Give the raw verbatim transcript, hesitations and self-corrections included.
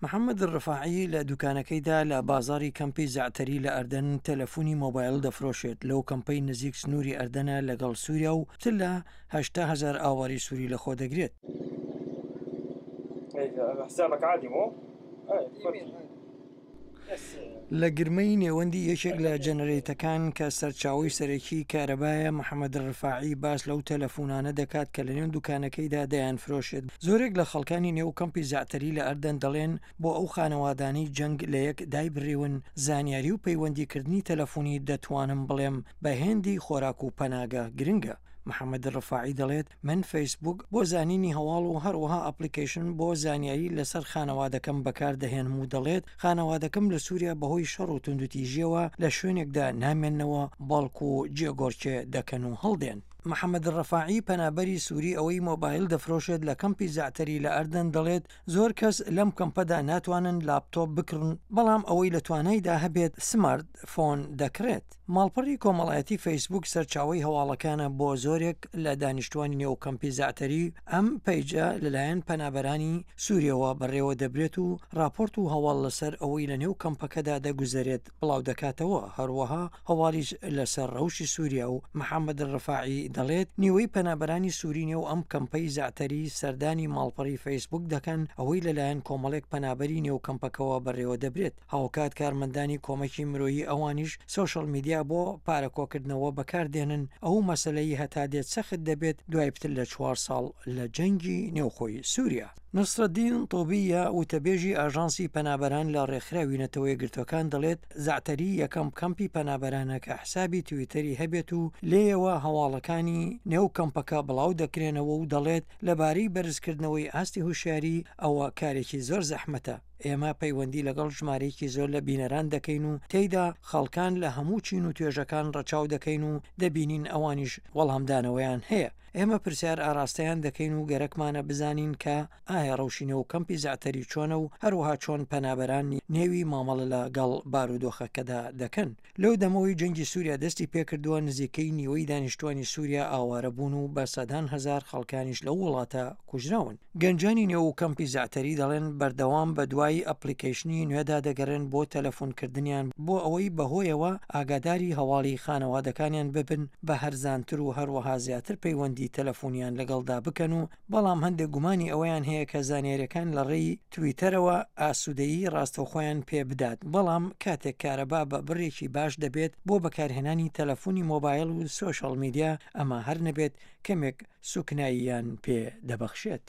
محەممەد ڕفاعی لە دوکانەکەیدا لە بازاڕی کەمپی زەعتەری لە ئەردەن تەلەفۆنی مۆبایل دەفرۆشێت، لەو کەمپەی نزیک سنووری ئەردەنە لەگەڵ سووریا و پتر لە هەشتا هەزار ئاوارەی سووری لەخۆ دەگرێت. لە گرمەی نێوەندی یەکێک لە جەنەرەیتەکان کە سەرچاوەی سەرەکی کارەبایە، محەمەد ڕفاعی باس لەو تەلەفونانە دەکات کە لەنێو دوکانەکەیدا دەیانفرۆشێت. زۆرێک لە خەڵکانی نێو کەمپی زەعتەری لە ئەردەن دەڵێن بۆ ئەو خانەوادانەی جەنگ لە یەک دایبڕیون، زانیاری و پەیوەندیکردنی تەلەفونی دەتوانم بڵێم بە هێندی خۆراک و پەناگە گرنگە. محەمەد ڕفاعی دەڵێت، من فەیسبووک بۆ زانینی هەواڵ و هەروەها ئەپڵیکەیشن بۆ زانیاری لەسەر خانەوادەکەم بەکاردەهێنم و دەڵێت، خانەوادەکەم لە سووریا بەهۆی شەڕ و توندوتیژییەوە لە شوێنێکدا نامێننەوە، بەڵکو جێگۆڕکێ دەکەن و هەڵدێن. محەمەد ڕەفاعی، پەنابەری سووری ئەوەی مۆبایل دەفرۆشێت لە کەمپی زەعتەری لە ئەردەن دەڵێت، زۆر کەس لەم کەمپەدا ناتوانن لاپتۆپ بکڕن، بەڵام ئەوەی لە توانایدا هەبێت سمارت فۆن دەکڕێت. ماڵپەڕی کۆمەڵایەتی فەیسبووک سەرچاوەی هەواڵەکانە بۆ زۆرێک لە دانیشتوانی نێو کەمپی زەعتەری، ئەم پەیجە لەلایەن پەنابەرانی سووریەوە بەڕێوەدەبرێت و ڕاپۆرت و هەواڵ لەسەر ئەوەی لەنێو کەمپەکەدا دەگوزەرێت بڵاودەکاتەوە، هەروەها هەواڵیش لەسەر ڕەوشی سووریا و محەمەد ڕفاعی دەڵێت، نیوەی پەنابەرانی سووری نێو ئەم کەمپەی زەعتەری سەردانی ماڵپەڕی فەیسبووک دەکەن، ئەوەی لەلایەن کۆمەڵێک پەنابەری نێو کەمپەکەوە بەڕێوەدەبرێت. هاوکات کارمەندانی کۆمەکی مرۆیی ئەوانیش سۆشڵ میدیا بۆ پارە کۆکردنەوە بەکاردێنن، ئەو مەسەلەی هەتا دێت سەخت دەبێت دوای پتر لە چوار ساڵ لە جەنگی نێوخۆی سووریا. نەسرەدین تۆبییە، وتەبێژی ئاژانسی پەنابەران لە ڕێکخراوی نەتەوە یەکگرتووەکان دەڵێت، زەعتەری یەکەم کەمپی پەنابەرانە کە حسابی تویتەری هەبێت و لێیەوە هەواڵەکانی نێو کەمپەکە بڵاو دەکرێنەوە و دەڵێت، لەبارەی بەرزکردنەوەی ئاستی هۆشیاری ئەوە کارێکی زۆر زەحمەتە. ئێمە پەیوەندی لەگەڵ ژمارەیەکی زۆر لە بینەران دەکەین و تێیدا خەڵکان لە هەموو چین و توێژەکان ڕەچاو دەکەین و دەبینین ئەوانیش وەڵامدانەوەیان هەیە. ئێمە پرسیار ئاراستەیان دەکەین و گەرەکمانە بزانین کە ئایا ڕەوشی نێو کەمپی زەعتەری چۆنە و هەروەها چۆن پەنابەران نێوی مامەڵە لە گەڵ بارودۆخەکەدا دەکەن. لەو دەمەوەی جەنگی سووریا دەستی پێکردووە، نزیکەی نیوەی دانیشتوانی سووریا ئاوارە بوون و بە سەدان هەزار خەڵکانیش لەو وڵاتە کوژراون. گەنجانی نێو کەمپی زەعتەری دەڵێن بەردەوام بەدوای ئەپڵیکەیشنی نوێدا دەگەڕێن بۆ تەلەفۆنکردنیان بۆ ئەوەی بەهۆیەوە ئاگاداری هەواڵی خانەوادەکانیان ببن بە هەرزانتر و هەروەها زیاتر پەیوەندی تەلەفۆنیان لەگەڵدا بکەن و بەڵام هەندێک گومانی ئەوەیان هەیە کە زانیاریەکان لە ڕێی تویتەرەوە ئاسوودەیی ڕاستەوخۆیان پێ بدات بەڵام کاتێک کارەبا بە بڕێکی باش دەبێت بۆ بەکارهێنانی تەلەفۆنی مۆبایل و سۆشیال میدیا ئەمە هەر نەبێت کەمێک سوکناییان پێ دەبەخشێت.